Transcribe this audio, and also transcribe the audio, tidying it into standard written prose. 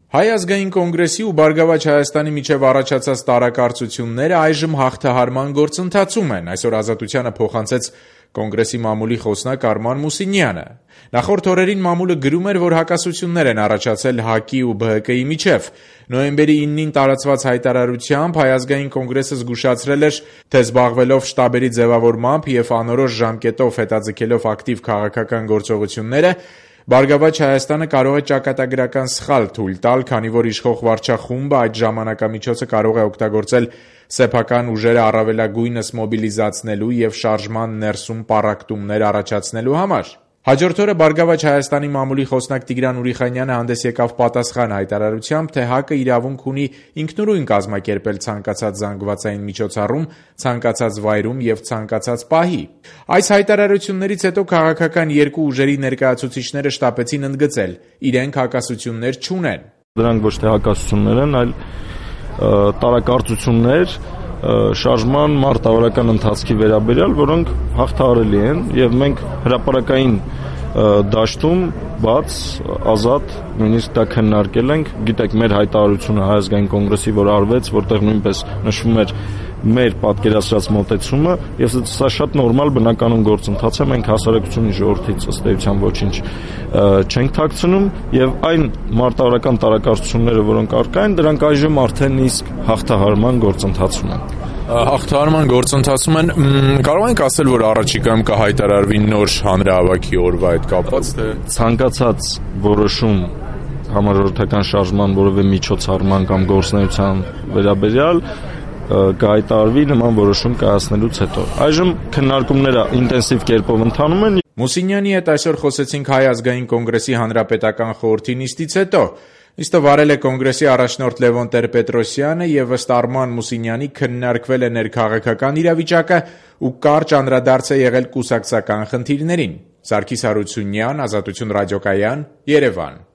Հայ ազգային կոնգրեսի ու Բարգավաճ Հայաստանի միջև առաջացած տարակարծությունները այժմ հաղթահարման գործընթացում են, այսօր Ազատությանը փոխանցեց կոնգրեսի մամուլի խոսնակ Արման Մուսինյանը։ Նախորդ օրերին մամուլը գրում էր, որ հակասություններ են առաջացել ՀԱԿ-ի ու ԲՀԿ-ի միջև։ Նոյեմբերի 9-ին տարածված հայտարարությամբ Հայ ազգային կոնգրեսը զգուշացրել էր, թե զբաղվելով շտաբերի ձևավորմամբ եւ անորոշ ժամկետով հետաձգելով ակտիվ քաղաքական գործողությունները, Բարգավաճ Հայաստանը կարող է ճակատագրական սխալ թույլ տալ, քանի որ իշխող վարչախումբը այդ ժամանակամիջոցը կարող է օգտագործել սեփական ուժերը առավելագույնս մոբիլիզացնելու եւ շարժման ներսում պառակտումներ առաջացնելու համար։ Հաջորդ օրը Բարգավաճ Հայաստանի մամուլի խոսնակ Տիգրան Ուրիխանյանը հանդես եկավ պատասխան հայտարարությամբ, թե ՀԱԿ-ը իրավունք ունի ինքնուրույն կազմակերպել ցանկացած զանգվածային միջոցառում, ցանկացած վայրում եւ ցանկացած պահի։ Այս հայտարարություններից հետո քաղաքական երկու ուժերի ներկայացուցիչները շտապեցին ընդգծել՝ իրենք հակասություններ չունեն։ Դրանք ոչ թե հակասություններ են, այլ տարակարծություններ շարժման մարտավարական ընթացքի վերաբերյալ, որոնք հաղթահարելի են եւ մենք հրապարակային դաշտում բաց, ազատ, նույնիսկ դա քննարկել ենք։ Գիտեք, մեր հայտարարությունը Հայ ազգային կոնգրեսի, որ արվեց, որտեղ նույնպես նշվում էր մեր պատկերացրած մոտեցումը, եւ սա շատ նորմալ բնականon գործընթաց է, մենք հասարակությունի ժողովրդից ըստ էության ոչինչ չենք թաքցնում եւ այն մարտավարական տարակարծությունները, որոնք առկա են, դրանք այժմ արդեն իսկ հաղթահարման գործընթացում են։ Հաղթահարման գործընթացում են, կարող ենք ասել, որ առաջիկայում կհայտարարվի նոր հանրահավաքի օրվա հետ կապված, թե ցանկացած որոշում համաժողովրդական շարժման որևէ միջոցառման կամ գործունեության վերաբերյալ կհայտարարվի նման որոշում կայացնելուց հետո։ Այժմ քննարկումները ինտենսիվ կերպով ընթանում են։ Մուսինյանի հետ այսօր խոսեցինք Հայ ազգային կոնգրեսի հանրապետական խորհրդի նիստից հետո։ Նիստը վարել է կոնգրեսի առաջնորդ Լևոն Տեր-Պետրոսյանը եւ ըստ Արման Մուսինյանի քննարկվել է ներքաղաքական իրավիճակը ու կարճ անդրադարձ է եղել կուսակցական խնդիրներին։ Սարգիս Հարությունյան, Ազատություն ռադիոկայան, Երևան։